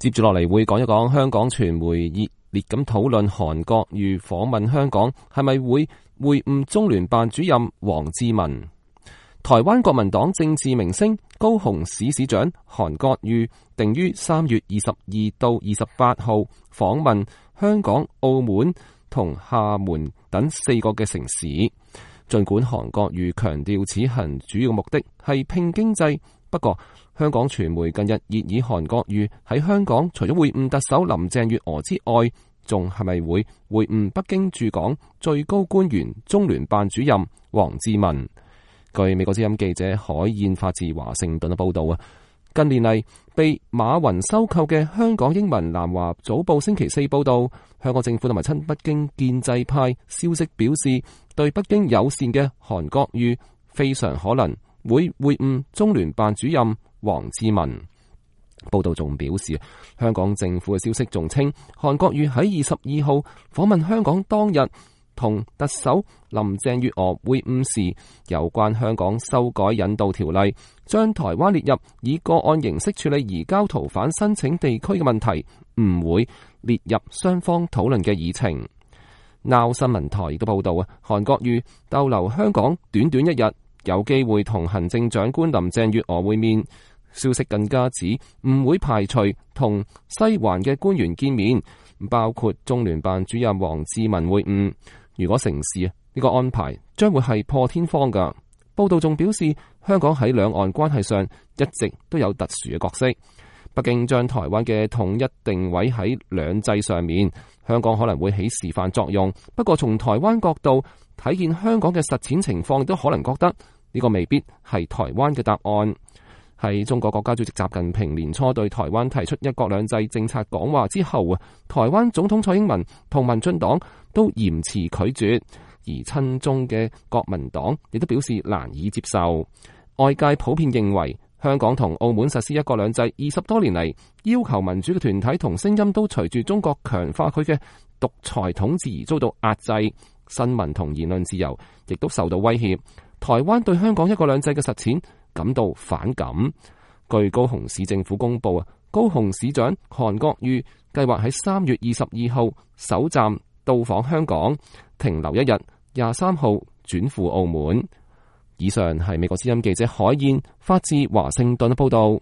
接住落嚟會講一講香港傳媒熱烈咁討論韓國瑜訪問香港係咪會會晤中聯辦主任王志民。台灣國民黨政治明星高雄市市長韓國瑜定於3月22到28號訪問香港、澳門同廈門等4個嘅城市。儘管韓國瑜強調此行主要目的係拼經濟，不過香港傳媒近日熱議韓國瑜喺香港除咗會晤特首林鄭月娥之外，仲係咪會晤北京駐港最高官員中聯辦主任王志民？據美國之音記者海燕發自華盛頓嘅報道啊，近年嚟被馬雲收購嘅香港英文南華早報星期四報道，香港政府同埋親北京建制派消息表示，對北京友善嘅韓國瑜非常可能會晤中聯辦主任王志民。報道仲表示，香港政府嘅消息仲稱，韓國瑜喺22號訪問香港當日，同特首林鄭月娥會晤時，有關香港修改引渡條例，將台灣列入以個案形式處理移交逃犯申請地區嘅問題，唔會列入雙方討論嘅議程。Now 新聞台亦都報道啊，韓國瑜逗留香港短短1日，有機會同行政長官林鄭月娥會面。消息更加指唔會排除同西環嘅官員見面，包括中聯辦主任王志民會晤。如果成事，呢個安排將會係破天荒㗎。報道仲表示，香港喺兩岸關係上一直都有特殊嘅角色。北京將台灣嘅統一定位喺兩制上面，香港可能會起示範作用。不過從台灣角度睇見香港嘅實踐情況，亦都可能覺得呢個未必係台灣嘅答案。喺中國國家主席習近平年初對台灣提出一國兩制政策講話之後啊，台灣總統蔡英文同民進黨都嚴詞拒絕，而親中嘅國民黨亦都表示難以接受。外界普遍認為，香港同澳門實施一國兩制20多年嚟，要求民主嘅團體同聲音都隨住中國強化佢嘅獨裁統治而遭到壓制，新聞同言論自由亦都受到威脅。台灣對香港一國兩制嘅實踐感到反感。據高雄市政府公布啊，高雄市長韓國瑜計劃喺3月22號首站到訪香港，停留1日，23號轉赴澳門。以上係美國之音記者海燕發自華盛頓報道。